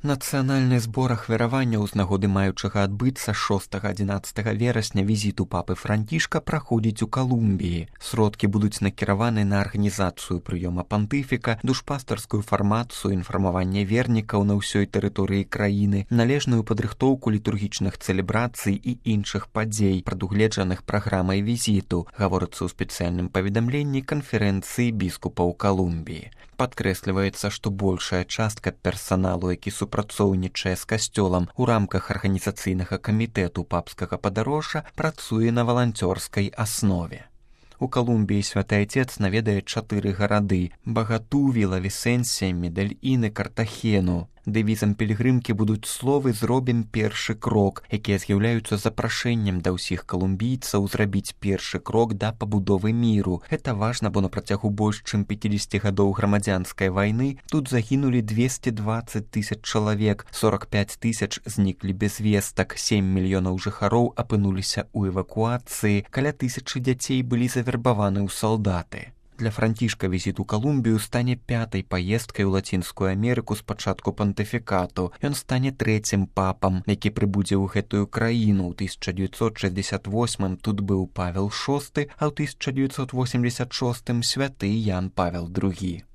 Нацыянальны збор ахвяраванняў з нагоды маючага адбыцца 6-11 верасня візіту папы Францішка праходзіць у Калумбіі. Сродкі будуць накіраваны на арганізацыю прыёма пантыфіка, душпастарскую фармацыю, інфармаванне вернікаў на ўсёй тэрыторыі краіны, належную падрыхтоўку літургічных цэлебрацый і іншых падзей, прадугледжаных праграмай візіту, гаворыцца ў спецыяльным паведамленні канферэнцыі біскупаў Калумбіі. Падкрэсліваецца, што большая частка персаналу, які супрацоўнічае з касцёлам у рамках арганізацыйнага камітэту папскага падарожжа, працуе на валанцёрскай аснове. У Калумбіі святы айцец наведае 4 гарады – Багату, Віла-Вісенсія, Медельін і Картахену. Дэвізам пілігрымкі будуць словы «Зробім першы крок», якія з'яўляюцца запрашэннем да ўсіх калумбійцаў зрабіць першы крок да пабудовы міру. Гэта важна, бо на працягу больш чым 50 гадоў грамадзянскай вайны тут загінулі 220 000 чалавек, 45 000 зніклі без вестак, 7 мільёнаў жыхароў апынуліся ў эвакуацыі, каля 1000 дзяцей былі завербаваны ў салдаты. Для Францішка візіт у Калумбію стане 5-й паездкай у Лацінскую Амерыку з пачатку пантыфікату. Ён стане 3-м папам, які прыбудзе ў гэтую краіну. У 1968 тут быў Павел VI, а ў 1986 святы Ян Павел II.